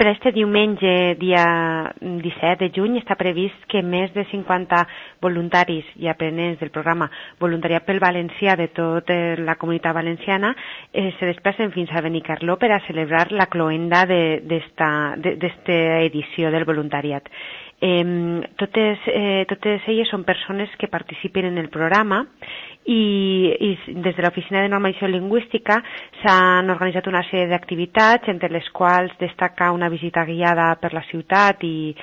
Per este diumenge, dia 17 de juny, està previst que més de 50 voluntaris i aprenents del programa Voluntariat pel Valencià de tota la comunitat valenciana se desplacen fins a Benicarló per a celebrar la cloenda d'esta edició del voluntariat. Totes elles són persones que participen en el programa i des de l'Oficina de Normalització Lingüística s'han organitzat una sèrie d'activitats, entre les quals destaca una visita guiada per la ciutat i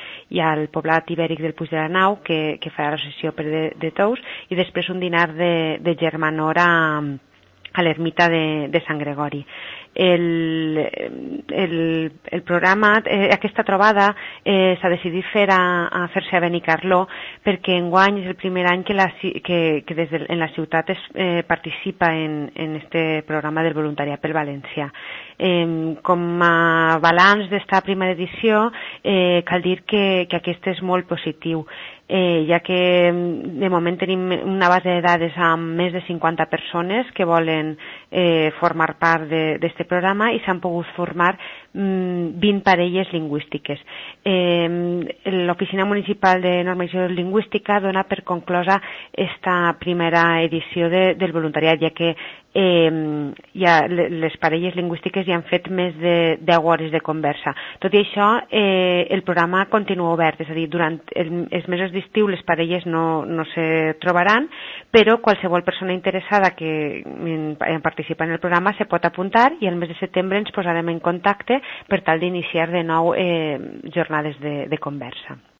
al poblat ibèric del Puig de la Nau, que farà la sessió de Tous, i després un dinar de germanor a l'ermita de Sant Gregori. El programa, aquesta trobada s'ha decidit fer-se a Benicarló perquè enguany és el primer any que en la ciutat es participa en este programa del voluntariat pel valencià. Com a balanç d'esta primera edició cal dir que aquest és molt positiu, ja que de moment tenim una base de dades amb més de 50 persones que volen formar part d'aquest programa i s'han pogut formar 20 parelles lingüístiques. L'Oficina Municipal de Normalització Lingüística dona per conclosa esta primera edició del voluntariat, ja que les parelles lingüístiques ja han fet més de 10 hores de conversa. Tot i això, el programa continua obert, és a dir, durant els mesos d'estiu les parelles no se trobaran, però qualsevol persona interessada en participar en el programa se pot apuntar i el mes de setembre ens posarem en contacte per tal d'iniciar de nou jornades de conversa.